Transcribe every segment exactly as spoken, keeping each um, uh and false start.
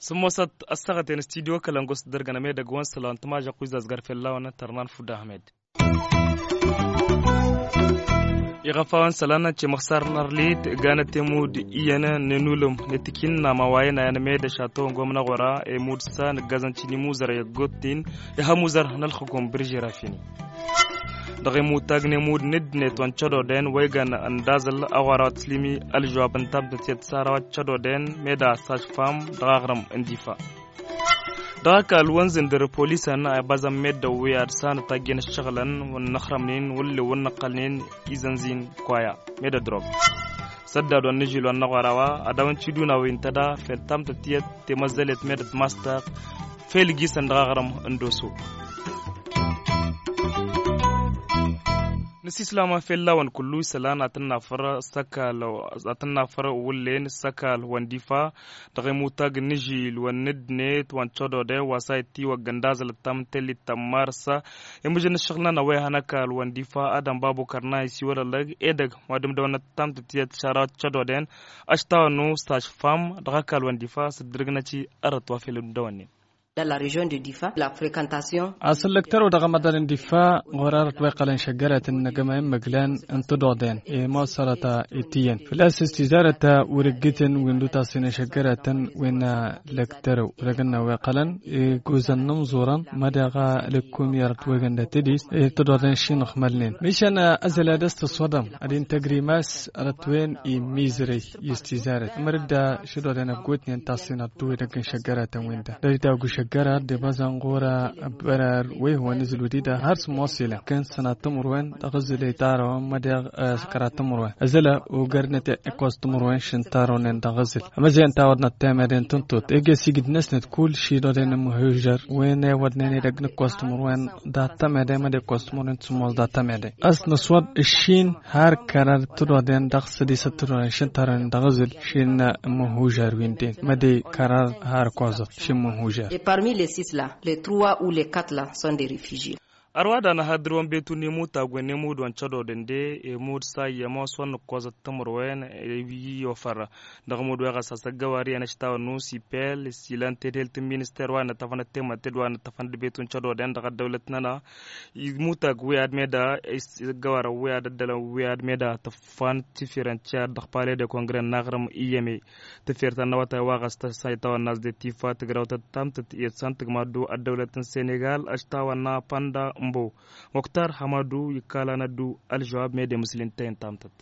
Sǝmmosăt ăssaɣăten studio kălăngos dăr-găn amedăgg wa n-sălan tǝmažăɣ kuzazgar fell-a-wen tărnan fudda ahmed. Iɣăf a-wen sălan cemăxsar n-arlit ganăt emud iyyăn n-enulǝm n-etikin n-amawayăn ayan med ašato n-gomnăɣora emud s-a nǝggazăn cinimuzăr i-ăggotin ihămuzăr n-ălxǝkum bǝrži rafini. Dăɣ-imutag n-emud n-ǝddnet wa n-cădoden wa igan ăndazăl aɣora wa tǝslǝmi ălžwab n-tabdăt i-ad-sara wa cădoden meda s-ašfam dăɣ-aɣrǝm n-difa. Dăɣ-ăkall wa n-zǝndǝr polisăn a ibazăn meddǝn wi ad-sanăt aggen ǝššăɣǝlăn wa n-inăxrămnen wăllew wa n-inăqqălnen izănzin koya meddǝn drog. Săddad wa n-inǝžil wa n-inăɣora wa ad-awăn ciduna wi n-tăda fel tamtăt tiyyăt temăzzălet meddǝn mastăɣ fel gisăn dăɣ-aɣrǝm n-doso. Nǝsislam a fel lawăn kullu isălan ad-tǝnnafăr s-ăkall ad-tǝnnafăr wǝllen s-ăkall wa n-difa. Dăɣ-imutag n-inǝžil wa n-ǝddnet wa n-cădode wa s-a ittiwăgg ăndazălăt tamtăllit tămmarsa imǝžăn ǝššăɣǝl-nănăɣ wa ihăn ăkall wa n-difa ad-ănbabukăr n-a isiwălălăg edăgg wa d-imdăwănnăt tamtăt tiyyăt šara wa t-cădoden. Ăštawănnu s-ašfam dăɣ-ăkall wa n-difa s-dd-ǝrǝgnăt-i ărăt wa fel imdăwănnen. Dans la région de difa la fréquentation. Asǝllăk tărăw dăɣ-amăḍal n-difa ɣur-arăt wa iqqălăn šăggăratăn n-agămay n-imǝglan n-tădoḍen i-mosărăt. Ittiyyăn făl-a-s s-tizarăt wăr-ǝggǝtăn wi n-dutasin n-šăggăratăn wi n-lăk tărăw wăr-ăgg n-a-wa iqqălăn iguzăn n-imẓurăn ma daɣ lăkkum i-arăt wa igan dat-tădis. Tădoḍen šinăɣ mălnen mišan ăzăl ad-ăstăswăḍăm ad-intăgri mas arăt wen imizrăy i-s tizarăt măr-dd šădoḍen ăggootnen tasinăḍ d-wen ăgg n-šăggăratăn wen-dăɣ dăr-dd-agu šăggărat d-ibăẓăn ɣur-a bărar wa ihwan izǝl wădida har s-mosila kăn sănat timǝrwen dăɣ-izǝl itarăwăn mădeɣ s-kărat timǝrwen ăzăla. Ogărnăt ikkoẓ timǝrwen šǝntarăwnen dăɣ-izǝl ămăzăyăn tawăḍnăt temeden tǝntot ege s-igǝd-năsnăt kull šidoden n-imǝhužăr wen ewăḍnen edăgg n-ikkoẓ timǝrwen dat-tămede măde ikkoẓ timǝrwen d-sǝmmos dat-tămede. A-s năswăḍ ǝššin har kărar tădoden dăɣ-sădisăt tădoden šǝntarăwnen dăɣ-izǝl šin n-imǝhužăr wi n-den măde kărar har koẓăt šin imǝhužăr. Et parmi les six là les trois ou les quatre là sont des réfugiés. Ărwa da n-ahăḍrǝwăn betu n-emutag wen n-emud wa n-cădodăn de emud s-a iyyăm a-s wa n-ǝkkoẓăt timǝrwen. Iyyofăr dăɣ-emud wa iɣăsas ăggăwar iyyăn ăštawăn n-usipel s-ilăn tedhelt n-minister wa n-ăttăfăn ăttemătted wa n-ăttăfăn d-betu n-cădodăn dăɣ-ăddăwlăt-nănăɣ. Imutag wi ad-meda ăggăwar wi ad-ăddălăn wi ad-meda tăffan tifirăn tiyyăt dăɣ-pale de kongre n-aɣrǝm iyyăme. Tǝfert ta n-awătay wa ɣas tăsayt a-wa n-nas de tifa tǝgrawt ăttamtăt i-ăssăn tǝgmaddu ăddăwlăt n-senegal ăštawănna panda n-bo. Muktar hamadu ikkalanăddu ălžăwab mede mǝslǝntăy n-tamtăt.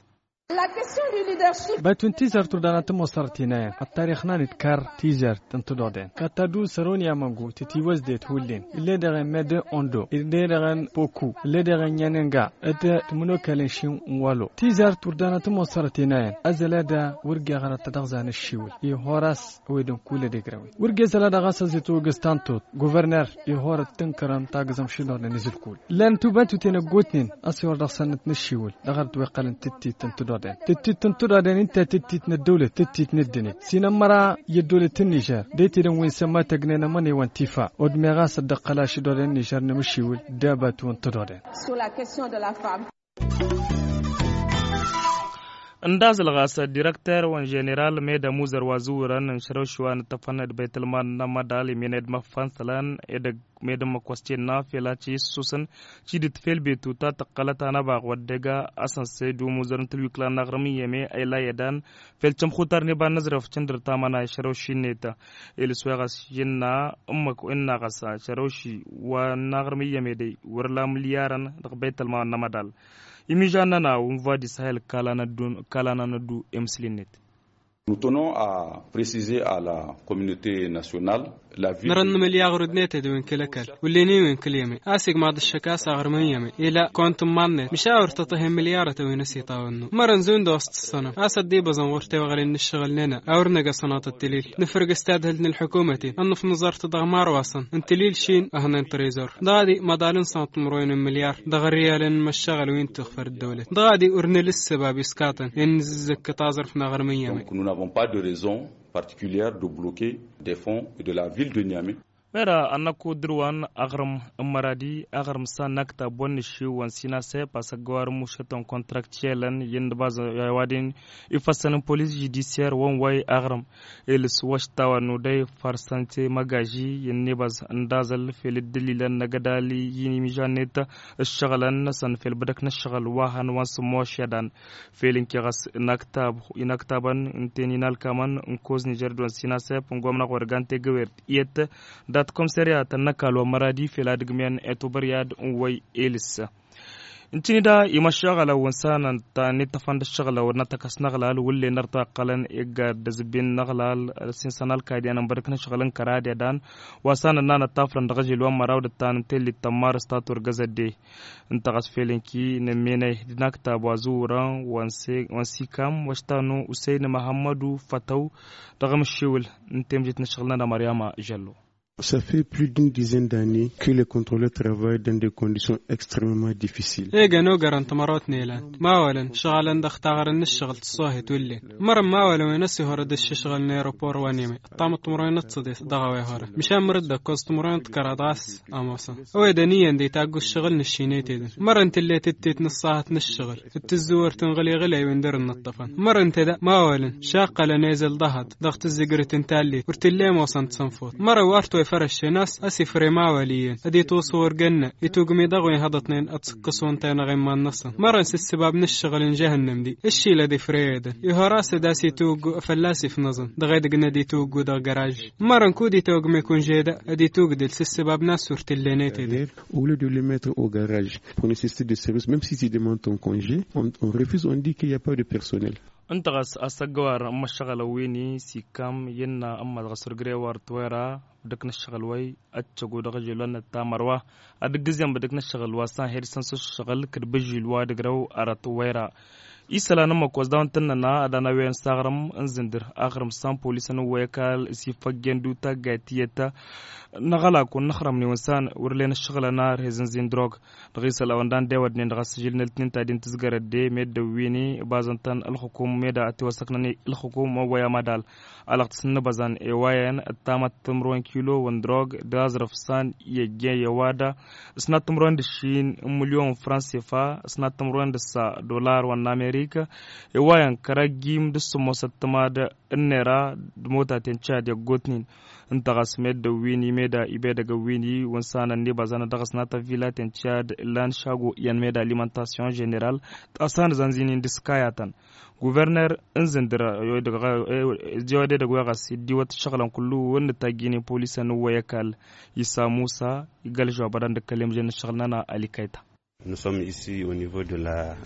Bătun tizărt urdanăt n-mosărăt inayăn ăttarix n-anit kar tizărt n-tǝdoḍen kattadu săroni amăngu tǝtiwăzdet hullen ille dăɣ-en mede ondo ille dăɣ-en poku ille dăɣ-en nyanenga. Dd-tǝmǝnokălen šin n-walo tizărt urdanăt n-mosărăt inayăn ăzălăda wăr geɣărăt tădăɣza n-ǝššiwǝl i-horas. Ăwedăn kull ad-egrăwen wăr gezăla dăɣ-a-s ăzitwăgǝz tantot guvărner ihorăt tǝnkărăn tagǝzăm šidornen izǝlkul. Lăn tubantuten ăggootnen a-s iwăr dăɣ-sănnăt n-ǝššiwǝl dăɣ-arăt wa iqqălăn tǝttit n-tǝdoden tǝttit n-tǝdoden ǝnta tǝttit n-ăddăwlăt tǝttit n-ăddinăt s-inămmăra i-ăddăwlăt n-nižer. D-etedăn wi n-sămma tăgnen ămănewăn tifa odmeɣ a-s ăddăqqăl ašidornen n-nižer n-emǝššiwǝl d-abatu n-tǝdoden. Ǝndazăl ɣas direkter wa n-ženeral med ămuzăr wa zǝwwărăn n-išrăwši wa n-ǝttăfăn d-băytălman n-amădal imen ed măffan sălan edăgg med ǝmmǝk wa s-tenna fel ad-t-issǝssusăn. Cidǝt fel betu ta tǝqqălăt anăbaɣ wa dd-ega asănse d-umuzăr n-tǝlwikla n-aɣrǝm iyyăme ila i-ădan fel cămxutar n-iba n-inǝzrăf cǝndǝr tamăna išrăwši-net. Ilǝs wa iɣas innă ǝmmǝk innă ɣas išrăwši wa n-aɣrǝm iyyăme dăy wăr-ila mǝlyarăn dăɣ-băytălman n-amădal. Imižan-nănăɣ unva d-isahel ǝkkalanăn-dd emǝsli-net. Nous tenons à préciser à la communauté nationale la vie. Nărăn n-imǝlyaɣ urǝdnet ed wen kăl-ăkall wǝllen-in wen kăl-iyyăme a-s igmaḍ ǝššăk a-s aɣrǝm n-iyyăme ila kont n-imaḍnet măšawăr tăṭṭăh i-imǝlyarătăn wi n-ăsiṭawănnu. Mărăn zund-os tǝssănăm a-s ăddiibăẓăn ɣur-tewăɣlen n-ǝššăɣǝl-nănăɣ a wăr năgg asănaṭ ăttălil nǝfrǝg s-tadhǝlt n-ălḥukumăten ănnăf nǝẓăr-t dăɣ-marwasăn n-tălil šin ăhnen trezor. Dăɣ-ad-i măḍal n-sănăṭ timǝrwen n-imǝlyar dăɣ-ărriyalăn n-imăššăɣǝl wi n-tǝɣfăr ăddăwlăt dăɣ-ad-i ur nǝla ǝssăbab iskaṭăn i-ad-nǝzǝzzăkkăt aẓrǝf n-aɣrǝm n-iyyăme. Donc nous n'avons pas de raison particulière de bloquer des fonds de la ville de Niamey. Mera ănnăkku dăr-wa n-aɣrǝm n-măradi aɣrǝm s-a n-aktab wa n-nǝššiw wa n-sinasep asăggăwar n-mušătăn kăntraktyelăn i-ǝnnǝbaz i-a-wa-dăɣ-in ifăssăn n-polis žudisyer wa n-way aɣrǝm. Ilǝs wa š-tawănnu dăy farsănte măgaži i-ǝnnǝbaz n-daẓăl fel dd-ǝllilăn n-agădal i-inimižan-net ǝššăɣǝlăn-năsăn fel bădăk n-ǝššăɣǝl wa hăn wa n-sǝmmošădan. Fel ǝnke ɣas inaktabăn ǝnta-en inalkamăn n-koz nižer d-wa n-sinasep n-gomna ɣur-ăgg ante găwert iyyăt dat-komserya tănnăkal wa n-măradi fel ad-ǝgmăyăn etubăryad n-wăy elǝssa. Ǝnta-in-da imăššăɣălăn wa n-sanăn ta n-ittăfăn d-ǝššăɣǝlăn wa n-atăkăs n-aɣlal wǝllen ărtaqqălăn iggad d-azǝbbin n-aɣlal s-insăn alkaydiyan n-bărǝk n-ašăɣǝl n-kăradedan wa sanăn n-anăttafrăn dăɣ-ažil wa n-măraw d-ǝttan n-tellit tămmarăs ta turgăzădde. Ǝnta ɣas fel ǝnki n-ămmenăy d-inaktab wa zǝwwărăn wa n-sikam wa š-tanu usăyni măhămmădu fătăw dăɣ-amǝššiwǝl n-temjit n-ašăɣǝl-nănăɣ măryama žăllo. Ça fait plus d'une dizaine d'années que les contrôleurs travaillent dans des conditions extrêmement difficiles. Egăn ogarăn tămărot n-elan mawălăn šăɣălăn dăɣ-taɣrǝn n-ǝššăɣǝl tăṣṣohet wǝllen. Mărăn mawălăn wen ăsihorăd ǝššǝšɣǝl n-aeropor wa n-emăy ăṭṭamăt timǝrwen d-săḍes dăɣ-a-wa ihorăn măšan mărăt d-ăkkoẓ timǝrwen d-kăraḍ ɣas. Ămoosăn ăwedăn iyyăn d-itaggu ǝššăɣǝl n-ǝššinăy tedăn mărăn tǝllet ǝttet n-ǝṣṣahăt n-ǝššăɣǝl d-tǝzzǝwărt n-iɣǝli iɣǝlay wi n-dăr-nǝṭṭăfăn. Mărăn tedăn mawălăn šaqqălăn ezăl ḍahăḍ dăɣ-tǝzzǝgrǝt n-tallit wăr tǝlle ămoosăn d-sănfut. Mărăn wa ărt-wa ifărăššen a-s ăsifre mawăl iyyăn ad-itwăṣṣu wăr gănna itugmi dăɣ-wen hăḍătnen ad-sǝkkăs wănta-i n-aɣimman-năsăn. Mărăn s-ǝssǝbab n-eššăɣǝl n-žăhănnăm-di ǝššil ad-ifreyădăn ihor a-s ad-as-itwǝggu fălla-s ifnăẓăn dăɣ-edăgg n-ad-itwǝggu dăɣ-găraž. Mărăn kud-itawăgme kunže da ad-itwǝgdǝl s-ǝssǝbab n-a-s wăr tǝllenăy tedăt. Au lieu de le mettre au garage pour nécessiter des services, même si tu demandes ton congé, on refuse, on dit qu'il y a pas de personnel. Ǝnta ɣas asăggăwar n-imăššăɣălăn wi n-isikam innă ǝmmăḍ ɣas wăr gre-wa ărtwăyra dăk n-ǝššăɣǝl wăy ăccăgu dăɣ-ažil wa n-ăttamăr wa ad-ǝggǝzyan bădăk n-ǝššăɣǝl wa s-anhed săn s-ǝššăɣǝl kăd-băžžil wa d-ǝgrăw ărătwăyra. Isălan n-imăkkoẓ daw-ǝntănnăna ad-anăwen s-aɣrǝm n-zǝndǝr aɣrǝm s-an polisăn n-wăy ăkall s-ifăggen d-utaggayt tiyyăt n-aɣălak wa n-inăxrămnen wa n-san wăr len ǝššăɣǝlăn arhez n-zindrog. Dăɣ-isălan wa n-dan dewădnen dăɣ-asǝžǝl n-ăltǝnin ta din tǝzgărăt de meddǝn wi n-ibaẓăn-tăn ǝlxǝkum meda ătiwăssăknăn ǝlxǝkum wa n-wăy amădal. Alăɣtǝs n-inǝbăẓan i-wa iyyăn ǝttamăt timǝrwen kilo wa n-drog d-aẓrǝf s-an i-ăjjeen i-wa da s-nat timǝrwen d-ǝššin n-mǝlyon n-franc sefa s-nat timǝrwen d-ǝssa dolar wa n-amerika. I-wa iyyăn kăraggim d-ǝssǝmmosăt tǝmad ǝnnera d-imotaten cad i-ăggootnen. Ǝnta ɣas meddǝn wi n-imeda ibedăgăn wi n-i wa n-sanăn n-ibaẓanăt dăɣ-s nat ăvvilaten cad ǝllan šago iyyăn meda alimentasyon ženeral. T-asanăzăn zinin d-iskayatăn guverner n-zǝndǝr. Ăjjewăd edăgg wa ɣas iddiwăt ǝššăɣǝlăn kullu wăr nǝtajjǝynen polisăn n-wăy ăkall. Isa musa igălžăw abădan d-ǝkkăl i-mǝžăn n-ǝššăɣǝl-nănăɣ alikayta. Nous sommes ici au niveau de la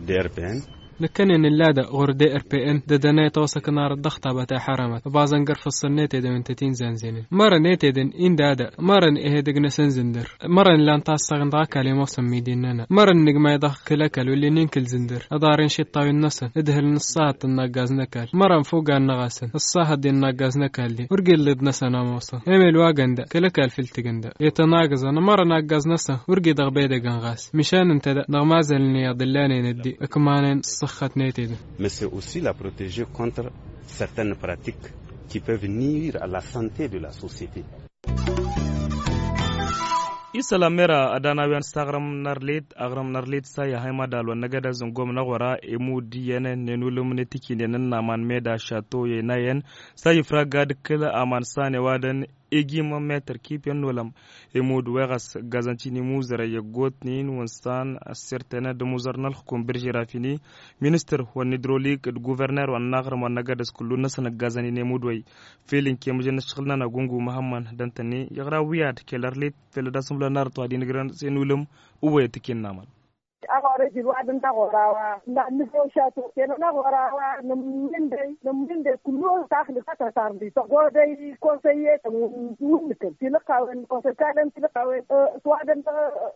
d r p n. Nǝkkănen ǝlla-dăɣ ɣur-d r p n d-ăddănăy ătwăsăkăn arăt dăɣ-tabăt a iḥărămăt ăbaẓăn gărfăssăn n-etedăn wi n-tăt-in-zanzenen. Mărăn etedăn-i n-dada mărăn ih'-edăgg-năsăn zǝndăr. Mărăn ǝllan tassăɣ-in dăɣ-ăkall i-ămoosăn midi-nănăɣ mărăn nǝgmay dăɣ-kăl-ăkall wăllen inkǝl zǝndăr ăḍarăn išiṭṭawen-năsăn ǝdhǝlăn ǝṣṣahăt tăn-naggaz n-ăkall. Mărăn fuggan-năɣ a-săn ǝṣṣahăt d-innaggaz n-ăkall-i wăr gǝllǝd-năsăn ămoosăn emel wa gănda kăl-ăkall fǝl tǝgǝnda. Itănagǝẓăn mărăn aggaz-năsăn wăr gidăɣ bedăgăn ɣas. Măšan ǝnta da dăɣ-mazălăn i-ad-ǝllanen ăddi ǝkmanen ǝṣṣăxxăt n-etedăn. Mais c'est aussi la protéger contre certaines pratiques qui peuvent nuire à la santé de la société. Isălan mera ad-anawyan s-aɣrǝm n-arlet aɣrǝm n-arlet s-a ihăy mad-alwăn n-agădăz n-gomna ɣur-a emud iyyăn n-enulǝm n-etikinen n-aman meda šato i-enayăn. S-a ifragga d-kǝl aman s-a n-ewadăn egim meter kip i-ănnulăm. Emud wa ɣas ǝggazăn tinimuzărăn i-ăggootnen wa n-san ăssirtănăn d-amuzăr n-ălxǝkum bǝrži rafini ministăr wa n-idrolik d-guverner wa n-aɣrǝm wa n-agădăz kullu-năsăn ǝggazăn-in emud wa-i. Fel ǝnke măjăn n-ǝššăɣǝl-nănăɣ gungu măhămmăn d-ăntăne iɣra wi ad-kăl-arlet fel ad-asǝmlăn arăt wa d-inǝgrăn s-enulăm. Ǝwwăyăt ikinna aman. Aɣorăj ilwadăn n-aɣora wa n-nǝfew šatu kena n-aɣora wa nǝmmindăy nǝmmindăy kullu taxlǝs a tăsarnit tăɣodăy konsăyyetăn wǝnnǝkăn tilăqqawen konsăy kalăn tilăqqawen s-wadăn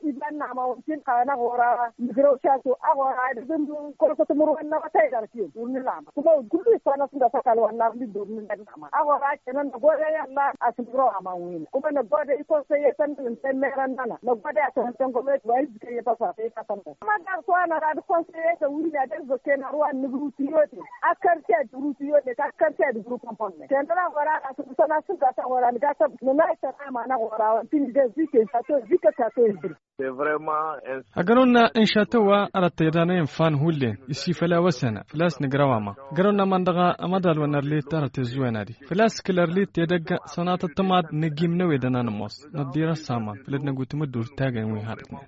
iban n-amawăn tilăqqawen aɣora wa nǝgrăw šatu aɣora wa dăgg-n konsăt mărwen n-awătay darkiyăm wǝnnǝlama kuma wǝd kullu issanăs n-dăɣ-s ăkall wa n-arlid d-wǝnnǝlama aɣora wa kena năgodăy ăllan asǝmrăw aman win-a kuma năgodăy konsăyyetăn n-temmărăn-nănăɣ năgodăy asănăntăn gomnati wa izgăy i-tăsarnit. Mădar s-wa năra d-konseye d-ăwrǝn ad-ălvăkken arwa n-nǝgrutǝyyote. Akkăr ted grutǝyyote akkăr ted grutǝyyote. Ten-dăɣ a ɣora n-asǝbǝsăn asǝbga s-a ɣora nǝga săb nǝnay sănama n-aɣora wa n-tǝnǝdez zikǝn s-ato zikǝn s-ato. Agăr-wăn n-šatăwwa arăt tăyădanăyăn fan hullen isifăl a-wa sănna făl-a-s nǝgrăw ama. Agăr-wăn n-aman dăɣ-amăḍal wa n-ărlit arăt tăzzǝwen ad-i făl-a-s kăl-ărlit i-edăgg sănatăt tămaḍ n-agim n-ewedăn a nǝmoos. Năḍḍirăs aman făll-ăddinăgut măddur tagăn wi hadătnen.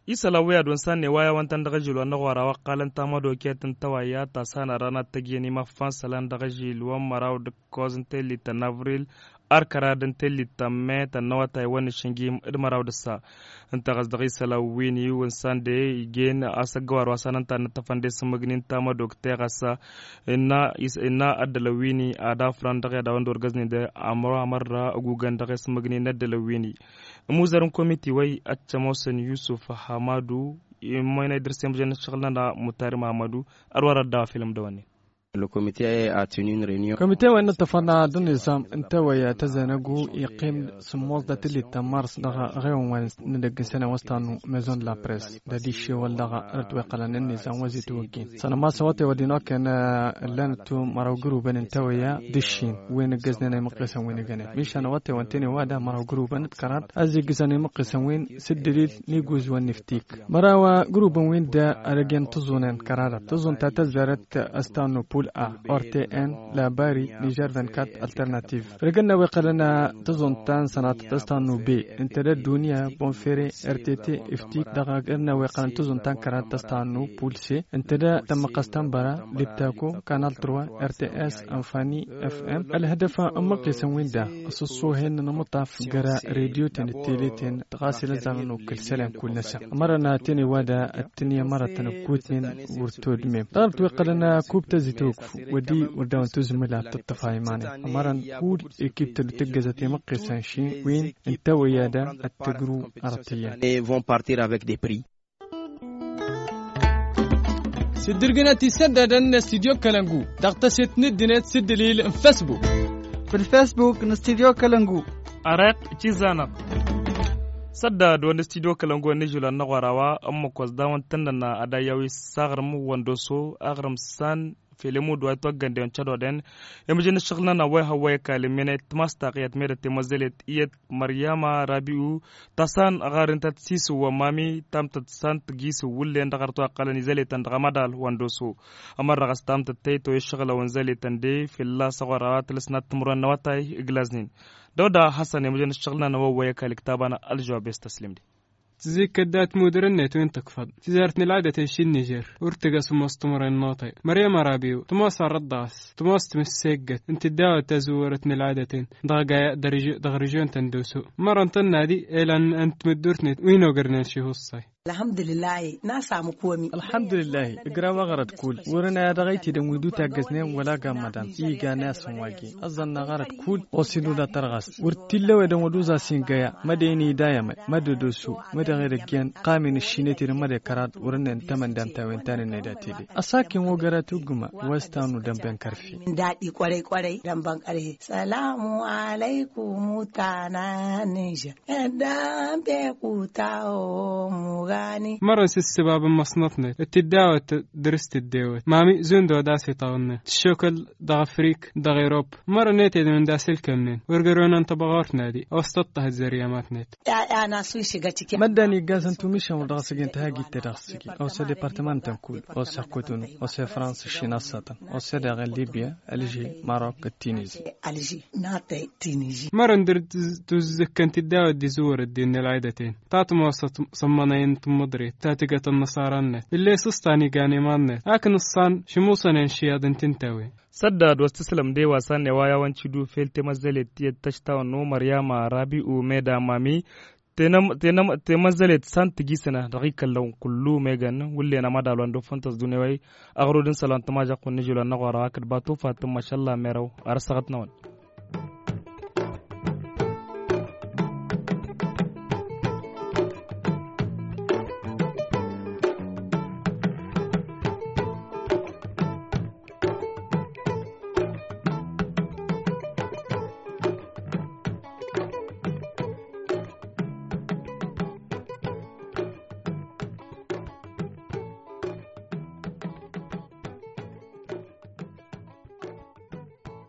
Isălan wi ad-wăn s-a n-eway a-wăn-tăn dăɣ-ažil wa n-aɣora wa ăqqalăn tamădokert n-tawayya ta s-a n-arran ad-tăjjăn imăffan isălan dăɣ-ažil wa n-măraw d-ǝkkoẓ n-tellit n-avril. Ar kăra d-n-tellit ta n-me ta n-awătay wa n-išǝnjim d-măraw d-ǝssa. Ǝnta ɣas dăɣ-isălan wi n-iwǝn s-a n-de ijen asăggăwar wa s-a n-ǝnta ad-nǝttăfăn d-esǝmmǝgnin tamădokert ɣas innă ăddălăn wi n-ad-afran dăɣ-i ad-a-wăn d-orgăznen d-amăro amărra ăgugăn dăɣ-esǝmmǝgnin n-ăddălăn wi n-i. Ămuzăr n-komiti wa-i ăccămosăn yusuf hamadu. Immoyna idrǝs i-mǝjăn n-ǝššăɣǝl-nănăɣ mutari măhammadu. Ălwăr ăddaw afilăm dăwănnen. Komite wa innă tăfănna d-nizam n-tewăyya tăzănăgu iqqim sǝmmos d-atǝllit ta n-mars dăɣ-ɣewăn wa n-edăgg n-sănăwăs ta n-mezon d-la pres d-adišewăl dăɣ-ărăt wa iqqălăn n-nizam wa zi-tawăggin sănămas awătay wa d-inokken. Ǝllanăt măraw gǝrubăn n-tewăyya d-ǝššin wi n-ǝggăznen imǝqqesăn wi n-egănen mišan awătay wa n-tene wa da măraw gǝrubăn d-kăraḍ a zi-ǝggǝzăn imǝqqesăn wi s-dd-ălil n-iguzwăn n-iftik. Măraw gurubăn-win-dăɣ ad-ăgg-en tǝẓẓunen kărarat tǝẓẓun ta tăzzarăt ăstannu pul a ortn labari nižer vinkat alternativ. Rǝgăn n-a-wa iqqălăn tǝẓẓun ta n-sănatăt ăstannu be ǝnta d-ăddunya bonfere rtt iftik dăɣ-rǝgăn n-a-wa iqqălăn tǝẓẓun ta n-kărarat ăstannu pul se ǝnta d-tămmăqqăst ta n-băra libtako kanal trwa rts anfani fm. Ălhădăf n-imǝqqesăn-win-dăɣ s-ăṣṣoohen n-amǝṭṭaf găra redyo-ten d-tele-ten. Ɣas ilăzzamăn okăl isălan kull-năsăn ămărăn a tene wa da ăttănǝy ămărătăn ăggutnen wăr todmem dăɣ-ărăt wi ǝqqălăn akub tăzitogf wăddi wăr dawăn tuzmǝl ad-tǝṭṭăf a iman-en ămărăn kull ekip tăddu tǝggăzăt imǝqqesăn ši win ǝnta wăyya da ad-tǝgru arăt iyyăn. Vont partir avec des prix. S-dd-irgǝnăt isăddadăn n-studyo kălăngu dăɣ-tăset n-ǝddinăt s-dd-ǝlil n-fesbuk. Făll-fesbuk n-studyo kălăngu. Ărăt cizanăt. Săddad wa n-studyo kălăngu wa n-ižulan n-aɣora wa ămmăkos dawăn tǝnnăna ad-ayyawi s-aɣrǝm wa n-doso aɣrǝm s-an felemudu wa itwăggănden cădoden. Imǝjǝn ǝššăɣǝl-nănăɣ wa ihăwwăy ăkall ǝmmenăy tǝmas taɣiyăt medăt temăzzălet iyyăt măryama rabi'u. Tăsan ɣarintăt sisǝw wa n-mami tamtăt s-an tǝjisǝw wǝllen dăɣ-arăt wa ǝqqălăn izăletăn dăɣ-amădal wa n-doso. Ămărrăɣ s-tamtăt tăytoy ǝššăɣǝlăn wa n-izăletăn de fălla-s ăɣora wa tǝlăsnat timǝrwen n-awătay ǝglaznen. Dăw-da hasăn imǝjǝn ǝššăɣǝl-nănăɣ wa ăwwăy ăkall ǝktabăn ălžăwab i-s tăslim-di. Tǝzzikkăt dat-mudăr-net wi n-tǝkfăḍ tizart n-ăl'adăt n-išin nižer. Wăr tǝgg-ăsmos timǝrwen n-awătay măryăm arabiyu tămoos arrăt dăɣ-s tămoos timǝsseggăt ǝnta dd-awăt tazǝwwărăt n-ăl'adăt-en dăɣ-gaya dăɣ-režyon-tăn d-osu. Mărăn tănna-di elan n-timǝddurt-net wi n-ogărnen šihussay. Ălhamdulillah. N-a-s amǝkkomi. Ălhamdulillah. Ǝgraw aɣrăd kull wăr-ănay a dăɣ-aytedăn wi d-utaggăznen wăla gammădan iga n-a-s n-wagi. Ăẓẓăn n-aɣrăd kull ɣos-in ula tărɣas wăr t-illa ăwedăn wăr d-uẓas ingăya mădăyăn idayămăy mădădosu mădăɣ edăgg-en. Qamin ǝššinăt-in mădăy kăraḍ wăr-ǝnnen tămăndamt a-wen ta n-ǝnnăy d-atede ăssakkin wăgg ara tuggǝma wa s-tanu dănben kărfi. Daɗi kwarăy kwarăy dănben kărfi. Sălamu alăykum ta n-anǝnžăr. Ăddan pekuta omugani. Mărăn s-ǝssǝbab n-măṣnăt-net dd-awăt dăr-s tǝddewăt mami zund odas iṭaɣ-net tǝššokăl dăɣ-afrik dăɣ-irop. Mărăn eted n-unda s-ǝlkămnen wăr gărăwăn n-tăbɣawărt n-adi a-wa s-tăṭṭăhăt zăryamat-net. Măddan iggazăn tumišăn wăr dăɣ-s ăgg-en tihagit-te dăɣ-s ăgg-i a-wa s-edepărtămant n-kull a-wa s-iqqutun a-wa s-efrans ǝššin a-s săṭṭăn a-wa s-edaɣ n-libya. Ălži marok d-tinizi. Mărăn dăr-tuzǝkkăn tiddawăt d-izǝwwăr ăddin n-ălɣidăten ta tămoosăt s-ămmănăy n-tǝmmǝḍrit ta tǝgăt ănnăṣara-net ill'-e s-ǝṣṣan igan iman-net. Akǝn ǝṣṣan šǝmuṣănen šiyyăḍ n-tintăwen. Săddad wa s-tǝslăm d-e-wa s-a n-e-wa i-a-wa n-tidu fel temăzzălet tiyyăt tăštawăn n-umăr i-ama rabi'u meda mami. Temăzzălet s-a n-tǝjisănăh dăɣ-ikăllăn kullu megăn wǝllen amădal wa n-dofăntăs d-unewăy. Aɣrud n-isălan tămažăɣt wa n-ižul wa n-aɣora hakd batu fatǝm mašalla merăw. Ar ăssăɣăt-năwăn.